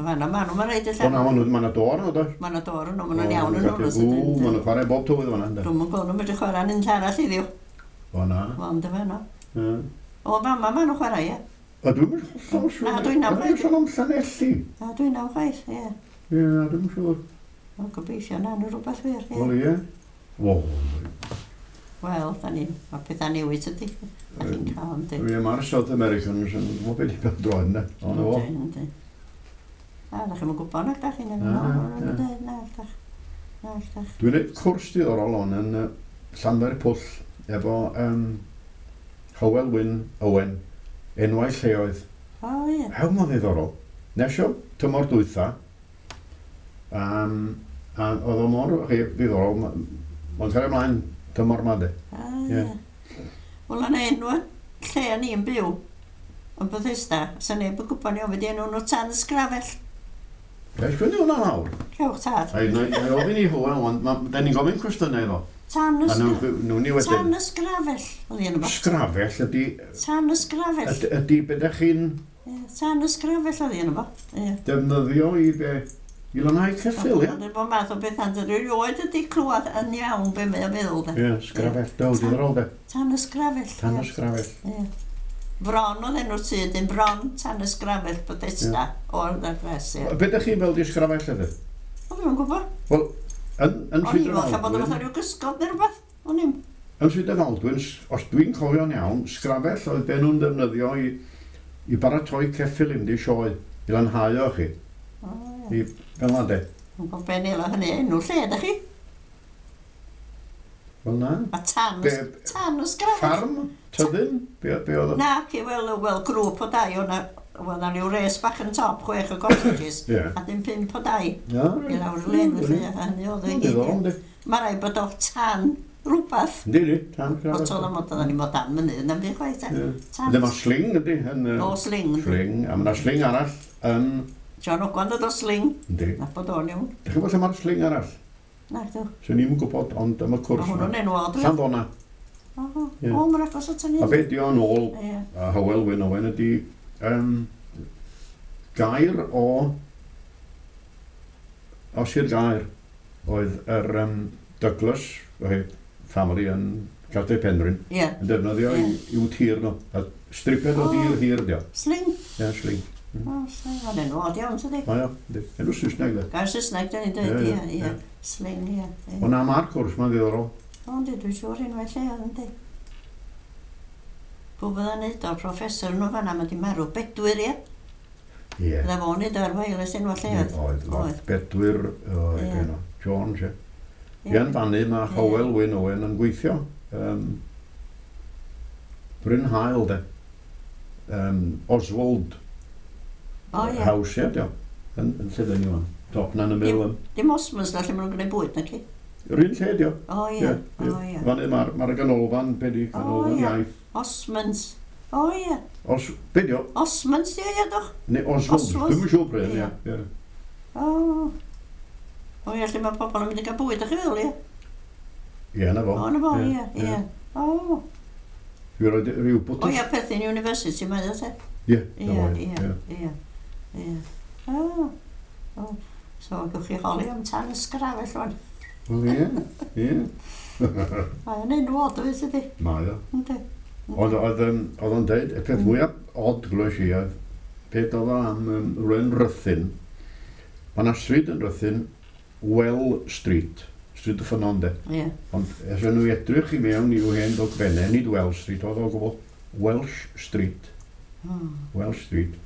Yn fanno, ma nhw, mae rhaid y lle. O na, ma nhw, ma na dor nhw, does? Ma na dor nhw, ma nhw'n iawn yn nhw. Ww, ma nhw'n chwarae bob tywydd fan'na, ynddo. Dwi'm yn gweld nhw'n medru chwarae yn unlle arall heddiw. O na. Ond y fanno. O. O, fama ma nhw'n chwarae, ie. A dwi'm yn hollol siŵr. Na, dwi'n am Dwi'n sôn am Llanelli. Na, dwi'n am chwaith, ie. Ie, na, dwi'm yn siŵr. O, gobeithio na, nhw rhywbeth wir, ie. Wel, ie. Wel, Wel, da ni, mae pethau newid ydy. Da chi'n cael, yndi. Ie, mae'r South Americans yn gwybod beth i beth droed, ynddo. O, na fo. Yndi, yndi. Na, da chi'm yn gwybod nag da chi, na, Na, na, na, na, dach. Na, dach. Dwi'n gwneud cwrs diddorol on yn uh, Llanfair Pwll efo um, Hywel Wyn Owen, enwau lleoedd. O, ie. Hew, mae'n ddiddorol. Nes o tymor dwytha, um, a oedd o mor chi, ddiddorol, mae'n cael ymlaen tymor ma de. A, ie. Wel, yna enw lle o'n i'n byw, yn Bethesda, sa neb yn gwybod ni ofyd enw nhw Tan Sgrafell. Ga i sgwennu hwnna lawr? Cewch tad. Ai, na i ofyn i Hywel, ond da ni'n gofyn cwestiynau iddo. Tan y nhw ni wedyn. Tan y sgrafell, oedd hi enw fo. Sgrafell ydy... Tan y sgrafell. Ydy be da chi'n... Tan y sgrafell oedd hi enw fo. Defnyddio i be... I lanhau ceffyl, ia? Dwi'n bod math o beth andy, dwi erioed ydi clywed yn iawn be mae o'n feddwl, de. Ie, sgrafell, do, diddorol, de. Tan y sgrafell. Tan y sgrafell. Ie. Bron oedd enw'r tŷ, dyn bron tan y sgrafell Bethesda o'r ddefres, ie. Be ydych chi'n fel di sgrafell ydy? O, dwi'm yn gwybod. Wel, yn, yn O'n i'n meddwl bod o'n fatha rhyw gysgod neu rhywbeth. O'n i'm. Yn Sir Drefaldwyn, os dwi'n cofio'n iawn, sgrafell oedd be nhw'n defnyddio i, i baratoi ceffyl i mynd i sioe, i lanhau o chi. O, ie. I, fel na de. Yn gwybod be nela hynny enw lle, ydych chi? Wel na. A tan, be, tan y sgrafell. Ffarm? Tyddyn? Be, be oedd o? Na, ci, wel, wel, grŵp o dai, o'na, wel, na ryw res bach yn top, chwech o cottages, yeah. a dim pump o dai. Yeah, I lawr y len, felly, a hynny oedd o i gyd. Mae rhaid bod o tan rhywbeth. Yndi, yndi, tan sgrafell. O, toedd am oedden ni mod dan mynydd, na'n byd chwaith. Tan... Yndi, mae sling, yndi. O, sling. Sling, a mae yna sling arall yn... John Ogwan dod o sling. Yndi. Na bod o'n iawn. Dych chi'n gwybod lle mae'r sling arall? Na, dw. Swn i'm yn gwybod, ond am y cwrs. Mae hwnnw'n enw od. Llanddona. O, o, mae'n agos at hynny. A be di o'n ôl, a Hywel Wyn Owen ydi, um, gair o, o Sir Gaer, oedd yr um, Douglas family yn Castell Penrhyn, yeah. yn defnyddio yeah. i'w tir nhw. A striped o dir hir, dio. Sling? Ie, yeah, sling. Mm. O, sling. Mae'n enw od iawn, tydi? O, ia. Enw Saesneg, de. Gair Saesneg, dyn ni'n dweud, ie, ie. Sling, ie. O na, mae'r cwrs, mae'n ddiddorol. O, yndi, dwi'n siŵr unwaith lle, yndi. Pwy fydda'n neud o'r professor nhw fan'na, mae di marw Bedwyr, ie? Ie. Fydda fo'n neud o'r wireless enw lleoedd. Oedd, oedd. Bedwyr, oedd, yeah. Jones, ie. Ie. Yn fannu mae Hywel Wyn Owen yn gweithio. Um, Bryn Hael, de. Um, Oswald oh, yeah. House, ie, dio. Yn, yn lle dyn ni wan. Top na'n y middle. Dim Osmonds na lle maen nhw'n gwneud bwyd, na ci? Yr un lle, dio. O, ie. O, ie. Fannu mae'r ma ganolfan, be di, ganolfan oh, iaith. Osmonds. O, ie. Os, be di o? Osmonds, ie, ie, doch. Neu Oswald. Oswald. Dwi'm yn siŵr pryd, ie. Ie. O. O ie, lle mae pobl yn mynd i gael bwyd, ych chi feddwl, ie? Ie, na fo. O, na fo, ie, ie. O. Dwi'n rhoi rhyw bwtws. O ie, Perthyn University, mae o te. Ie, na fo, ie. Ie, ie, ie. O, o. So, gewch chi holi am tan y sgrafell wan. Wel, ie, ie. Mae o'n enw od, oes ydi? Mae o. Yndi. Oedd o'n deud, y peth mwyaf od glywes i oedd, beth oedd o am rhywun Rhuthun. Mae yna stryd yn Rhuthun, Well Street, Stryd y Ffynnon, de. Yeah. Ond es nhw edrych i mewn i'w hen dogfennau, nid Well Street, oedd o gwbl, Welsh Street. Mm. Welsh Street.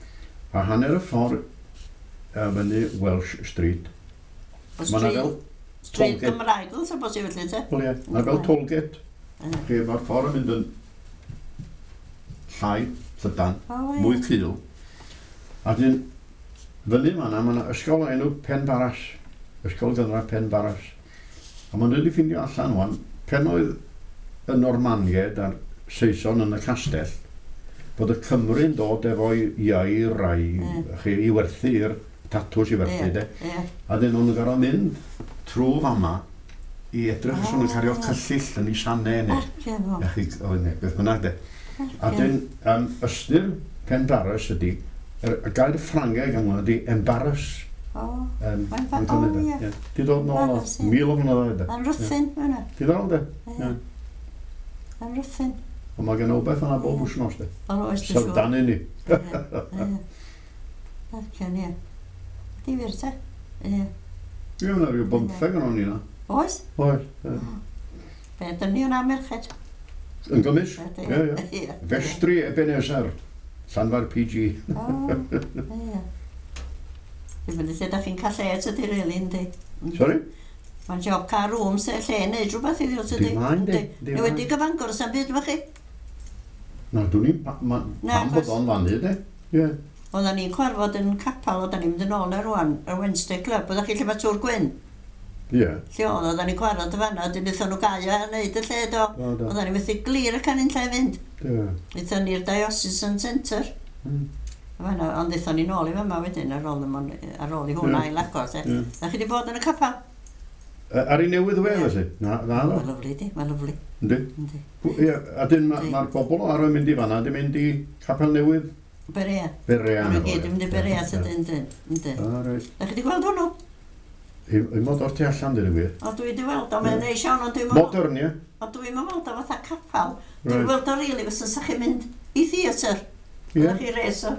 A hanner y ffordd uh, fyny Welsh Street. Mae yna fel Stryd Gymraeg, oedd o bosib felly, te? Wel ie, mae fel tollgate. Mm. Lle mae'r ffordd yn mynd yn llai, llydan, oh, yeah. mwy cul. A dyn, fyny fan'na, mae yna ysgol o enw Pen Barras. Ysgol Gynradd Pen Barras. A maen nhw wedi ffindio allan wan, pen oedd y Normaniaid a'r Saeson yn y castell, bod y Cymru'n dod efo'i ieir a'i mm. chi, i werthu i'r tatws i werthu, yeah, de. Yeah. A dyn nhw'n gorfod mynd trwy fama i edrych os nhw'n cario cyllill yn ei sanau neu. Arce fo. O, neu, beth bynnag de. A dyn, um, ystyr Pen Barras ydy, y, y gair Ffrangeg am hwnna ydy embarrass. O, Um, mae'n fa- o, ie. Di dod nôl o mil o flynyddoedd, de. Yn Rhuthun, mae hwnna. Diddorol, de. Ie. Yn Rhuthun. Ond mae gen o beth yna bob wythnos, de. O, oes, dwi'n siŵr. Syfrdanu ni. Ie, ie. Darllen, ie. Difyr, te. Ie. Ie, yna rhyw bymtheg yn o'n i na. Oes? Oes. Be, dyn ni yna merched. Yn gymys? Ie, Ie, ie. Festri Ebenezer, Llanfair P G. O, ie. Dwi'n mynd i lle da chi'n cael lle, tydi, really, yndi? Sorry? Mae'n job cael rooms, lle neud rhywbeth iddi, tydi? Dim maen, di. Neu wedi gyfangor, sa'n byd efo chi? Na, dwi'n i'n pam bod o'n fannu, de. Ie. Oedden ni'n cwarfod yn capel, oedden ni'n mynd yn ôl na rwan, y Wednesday Club, oeddech chi lle mae Tŵr Gwyn? Ie. Lle oedd, oedden ni'n cwarfod y fanna, wedyn wnaethon nhw gau a neud y lle, do. Oedden ni'n methu glir y canyn lle i fynd. Ie. Wnaethon ni'r Diocesan Centre. Mm. Fanna, ond aethon ni nôl i fama wedyn ar ôl, ar ôl i hwnna Ie. i lagor, te. Ie. Da chi wedi bod yn y capel? Yy, Ar ei newydd we, Ie. felly? Na, na, Mae'n do. lyfli, di, mae'n lyfli. Yndi. Yndi. Ie, a dyn mae'r Yndi. ma bobl o ar yn mynd i fanna, di mynd i Capel Newydd Berea. Berea. Maen nhw gyd yn mynd i Berea, tydyn, yndyn. Yndyn. Ah, reit. Da chi wedi gweld hwnnw? I, i mod o'r tu allan, dyn nhw gwir. O, dwi wedi weld o, mae'n Ie. neis iawn, ond dwi'n Modern, ie? Ond dwi'n weld o fatha capel. Dwi'n Reit. weld o rili fysa sa chi'n mynd i theatr. Ie. Ydych chi res o.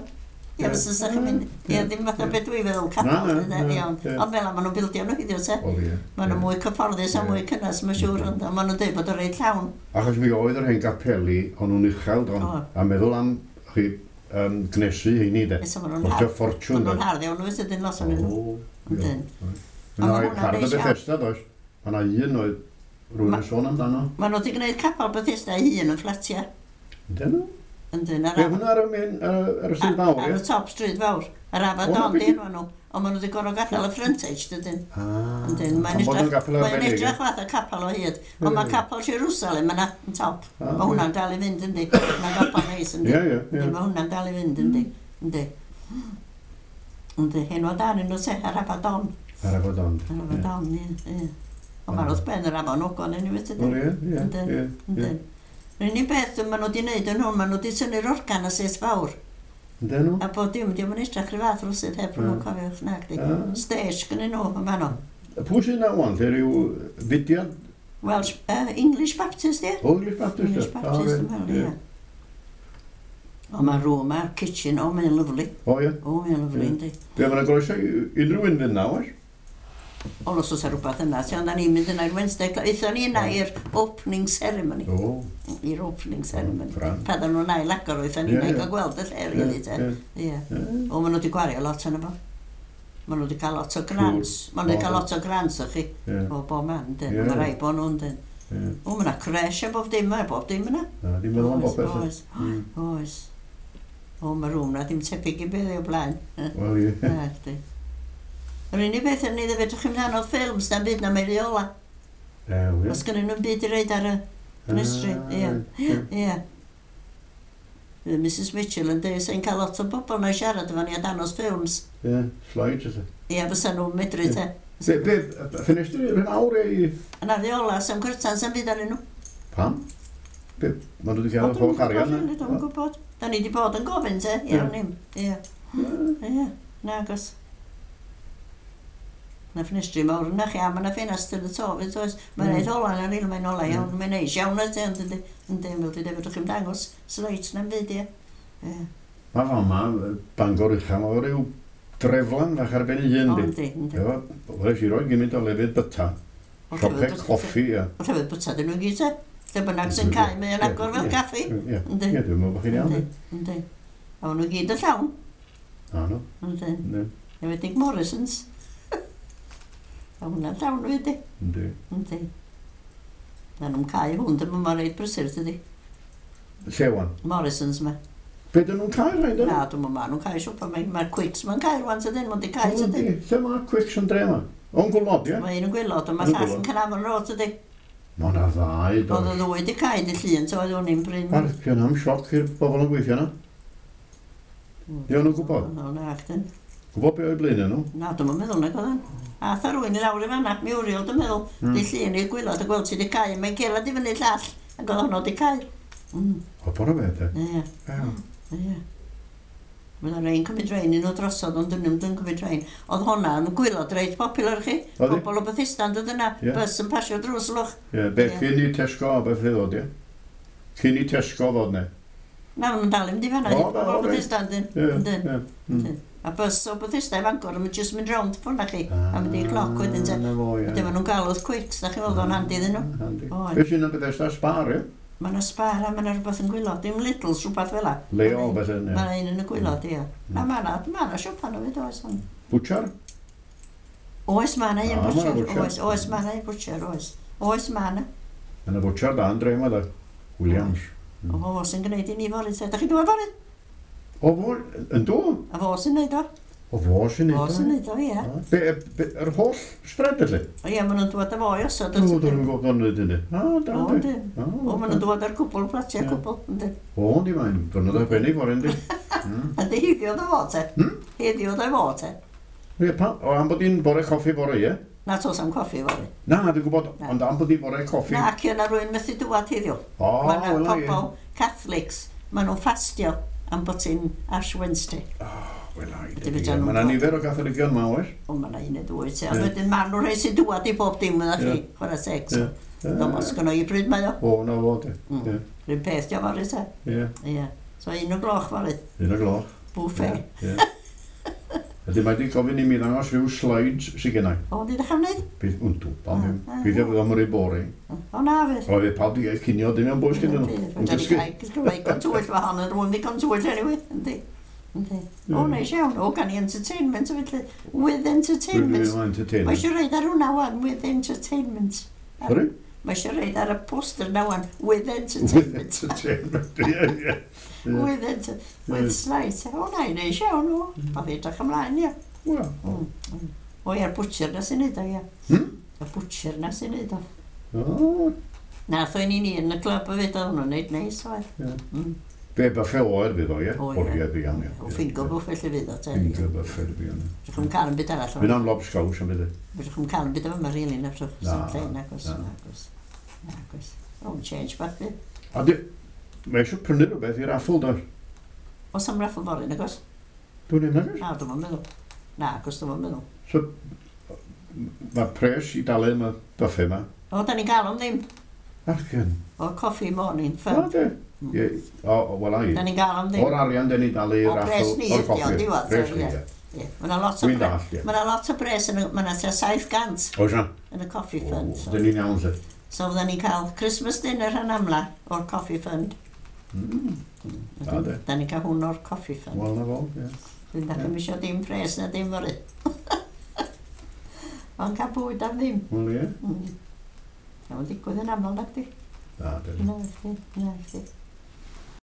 Ie, Ie. fysa sa chi'n mynd. Ie, Ie. ddim fatha Ie. beth dwi'n feddwl Na, capel. na, dyde, na, Iawn. ie. Ond fel 'na maen nhw'n bildio nhw heddiw te. Wel, ie. Maen nhw Ie. mwy cyfforddus a Ie. mwy cynnes, mae'n siŵr, ond maen nhw'n dweud bod o reit llawn. Achos mi oedd yr hen gapeli, o'n nhw'n uchel, don, O. a meddwl am, chi, um, gnesu heini, de. Esa maen nhw'n Costio hardd. ffortiwn, Maen de. nhw'n hardd iawn, oes ydyn lot o'n nhw. O, ie. Yndyn. Mae Ond ma' hwnna'n hardd y neis iawn. Bethesda, does? Mae yna un oedd rhywun Ma- yn sôn amdano. Maen nhw wedi gwneud capel Bethesda ei hun yn fflatia. Ydyn nhw? Yndyn, ar Be, hwnna ar y main, ar y- ar y stryd fawr, Ar ie? y top stryd fawr. Yr O, Afadon na, di be' enw nhw. Ond maen nhw wedi gorfod gadael y frontage, dydyn. Ah, Yndyn, mae'n am bod yn edrych, gapel mae'n arbennig, ie? edrych fath o capel o hyd. Ond mae Ie. capel Jerusalem yna, yn top. Ah, Mae hwnna'n dal i fynd, yndi. Mae'n gapel neis, yndi. Ie, ie, ie. Yndi, Mae hwnna'n dal i fynd, yndi. Yndi. Yndi, henwa dan yn nhw te, yr Afadon. Ar Afadon. Yr Afadon, ie, ie. Ond mae'r wrth ben yr afon Ogwen yn ei Wel, ie, ie, Yndyn, ie, ie. Yndyn. Yr unig beth maen nhw wedi wneud yn hwn, maen nhw wedi tynnu'r organ a set fawr. Yndyn nhw? A bod dim, dim yn edrych rhyw fath rwsyd heb nhw'n Ie. cofiwch nag di. Ah. Stage gynnyn nhw yn fanno. Pwy sy'n na wan? Lle rhyw fudiad? Welsh, uh, English Baptist, ie? O, English Baptist? English ie? Baptist, Ah, yn fel, reit, ie. O, mae'r room a'r kitchen, o, mae'n lyfli. O, ie. O, mae'n lyfli, Ie. yndi. Be, mae'n groeso i unrhyw un fynd na, oes? O, os oes rhywbeth yna, ti, ond da ni'n mynd yna i'r Wednesday Club. Aethon ni yna i'r opening ceremony. O, I'r opening ceremony. Grand. Pan oedden nhw'n ail agor, aethon ni Ie, yna i ie. gael gweld y lle, Ie, really, te. ie, Ie. ie. O, maen nhw wedi gwario lot yna fo. Maen nhw wedi cael lot o grants. Maen nhw wedi O. cael lot o grants o chi. Ie, O, bob man, yndyn. Ie. Mae rai bod nhw, yndyn. ie. O, mae yna creche a bob dim, mae bob dim yna. Na, dim meddwl am Oes, bopeth. Oes, Mm. oes. O, mae rŵm na ddim tebyg i beth o blaen. Wel, ie. Na, chdi. Yr unig beth yn ei ddefyd, chi'n mynd anodd ffilms na'n byd na mae rheola. Ew, ie. Os gynnu nhw'n byd i reid ar y ffenestri, Ah, ie. ie. Ie. Fydd Mrs Mitchell yn dweud, sy'n cael lot o bobl na siarad efo ni a danos ffilms. Ie, slides, ydw. Ie, fysa nhw'n medru Ie. te. Be, be, ffenestri rhan awr i... Yna rheola, sam cyrtan, sam byd arnyn nhw. Pam? Be, maen nhw wedi cael O, yr dwi'm holl arian yn gwybod, Dwi'm yn gwybod. Da ni wedi bod yn gofyn te, Ie. iawn nim. Ie. Ie, nagos. Na ffenestri mawr yna chi, a ma' 'na ffenast yn y to fyd, oes. Mae'n Mm. neud ola na ril, mae'n ola Mm. iawn, mae'n neis iawn ydy, ond yndi, yndi, fel dwi dweud, fedrwch chi'm dangos slides na'm byd, ie. Ie. Mae fama, Bangor Ucha, mae rhyw dreflan fach ar ben ei hun, O, di. yndi, yndi. Efo, wnes i roi gymaint o lefydd byta, O, siopau llefydd byta- coffi, ie. O, llefydd byta dyn nhw gyd, te. Lle bynnag sy'n cau, mae'n agor fel Ie, caffi. Ie, Yndi. ie, dwi'n meddwl bod chi'n iawn. Yndi, yndi. A maen nhw gyd yn llawn, Na, no. yndi. Yndi, Enwedig Morrisons. A hwnna'n llawn wedi. yndi. Yndi. Na nhw'n cau hwn, dyma ma'n reit brysur, dydi. Lle wan? Morrisons ma. Be dyn nhw'n cael rhaid Na, dwi'n meddwl ma nhw'n cau siopa. Mae'r ma Quicks ma'n cau rwan tydyn, ma'n di cau tydyn. Lle mae Quicks yn dre yma? O'n gwlod, ie? Mae un yn gwylod, ond Yn mae llall Gwilod. yn Caernarfon Road tydi. Mae yna ddau, Oedd y does. ddwy di cau di llun, so oedd hwn i'n bryn. Arpion am sioc i'r bobl yn gweithio yna. Di o'n nhw'n gwybod? O, na, chdi. Gwybod be oedd blaen nhw? Na, dwi'n meddwl nag oedd o'n. Ath a rywun i lawr i fanna, Muriel, dwi'n meddwl, Mm. di llun i'r gwylod a gweld sydd di cau. Mae'n cerdded i fyny llall, ac oedd honno di cau. Mm, O, bod o beth, e? ie, Ie. ie. Mae yna rei'n cymryd rein un o drosodd, ond dyn nhw'n cymryd rein. Oedd honna yn gwylod reit popular chi. Oedd hi? Pobl o Bethesda yn dod yna, Ie. bus yn pasio drws lwch. Ie, be, Ie. cyn i Tesco a beth ddod, ie? Cyn i Tesco ddod, ne? Na, maen nhw'n dal i mynd i fanna, O, pobl o o, reit. Bethesda yn dyn. Ie, Yndyn. ie. Mm. A bus o Bethesda i Fangor yn mynd jyst mynd rownd ffwrdd na chi. A mynd i'r cloc wedyn te. Ah, Na fo, ie. Wedyn maen nhw'n galw Quicks, da chi'n weld o'n handi iddyn nhw. Handi. Oedd. Be sy'n yn Bethesda Spar, ie? Mae yna Spar a mae yna rhywbeth yn gwylod. Dim Lidl's, rhywbeth fel 'a. Leo, beth yn, Mae ie. yna un yn y gwylod, ie. Na, mae yna, mae yna siopa nhw fyd, oes. ond- Butcher? Oes, mae yna un Ah, ma' 'na butcher. butcher. Oes, oes, mae yna un butcher, oes. Oes, mae yna. Yna butcher da yn dre yma, da. Williams. O, fo sy'n gwneud i ni fory, te. Da chi'n dweud fory? O, fo, yn do? A fo sy'n gwneud o. O fo sy'n neud Fo sy'n neud o, ie. Be, be, yr holl spread felly? O ie, maen nhw'n dŵad â fo i osod. O, dwi'n gwybod o'n neud hynny. O, da, O, di. yndyn. O, maen nhw'n dŵad ar cwbl, platiau Ie. cwbl, yndyn. O, di mae'n dwrnod arbennig fory, yndi. Yndi, heddiw oedd o fo, te. Hmm? Heddiw oedd o fo, te. Ie, pa, o, am bod hi'n bore coffi bore, ie? Na, tos am coffi fory. Na, dwi'n gwybod, Na. ond am bod hi'n bore coffi. Na, ac yna rwy'n methu dŵad heddiw. O, Mae yna wel, ie. pobl Catholics, maen nhw'n ffastio am bod hi'n Ash Wednesday. Wel, ai, Ydy, dydi, fedra ie. nhw'n Mae yna dod. nifer o Gatholigion ma, oes? O, mae yna un neu ddwy, te. Ond Ie. wedyn maen nhw'n rhai sy'n dŵad i bob dim yna chi, Ie. chwarae teg. Ie. Dwi'n os gynno i bryd mae o. O, na fo, di. Mm. Ie, Rwy'n peth di o fory, te. ie. Ie. So un o gloch fory, Un o gloch. buffet. Ie. Ydy, mae di gofyn i mi ddangos rhyw slides sydd gennau. O, di ddechrau wneud? Bydd, yn dwba, Ah, ah, bydd bydd o'n rhy boring. O, na fydd. O, fydd pawb di gael cinio, dim yn bwys gyda nhw. Yn dysgu. Dwi'n tywyll wahanol, rwy'n ddigon tywyll anyway. Yndi. Yndi. O, neis iawn. O, gan i entertainment, felly. With entertainment. With entertainment. Mae eisiau rhoid ar hwnna wan, with entertainment. Sorry? Mae eisiau rhoid ar y poster na wan, with With entertainment. entertainment, ie, ie. With, enter, with slides. O, na, neis iawn, o. Pa fi edrych ymlaen, ie. Wel, Mm, mm. O, ie'r butcher na sy'n neud o, ie. Hmm? Y butcher na sy'n neud o. O, Nath o'n i ni yn y clwb hefyd, oedd hwnnw'n neud neis, oedd. Ie. Mm. Be buffet oer fydd o, ie? O, O, ie. ie, fi iawn, ie. O, finger buffet lle fydd o, te. Finger buffet, fi iawn. Fedrwch chi'm cael yn byd arall. Fydd am lobscows am byd. Fedrwch chi'm cael yn byd yma, rili, na fedrwch. Na, Lle, nagos, na. nagos. Nagos. O, change bach fydd. A di, mae eisiau prynu rhywbeth i raffle, does? Oes am raffle fory, nagos? Dwi'n un nagos? Na, dwi'n meddwl. Na, agos dwi'n meddwl. So, mae pres i dalu am y buffet yma. O, da ni'n gael am ddim. Argen. O, coffee morning O, fun. de. Ie, o, o, wel ai. Da ni'n gael am ddim. O'r arian den ni dalu i'r O, raffle. pres ni o'r ydi o, coffi. diwedd, Pres ni, ie. ie. Ie. Mae yna lot o Dwi'n bre- dallt, ie. Mae yna lot o bres, yn y- mae yna tua saith gant Oes na? yn y coffee O, fund. So, Dyn ni'n iawn, se. so fydden ni'n cael Christmas dinner rhan amla o'r coffee fund. Mm. Da, de. Da ni'n cael hwn o'r coffee fund. Wel, na fo, ie. Dwi'n dach chi'm isio dim pres na dim fory. Ond cael bwyd am ddim. Wel, ie. Mm. Mae'n digwydd yn aml, nag di? Na, dyn. Na, chdi, na, chdi.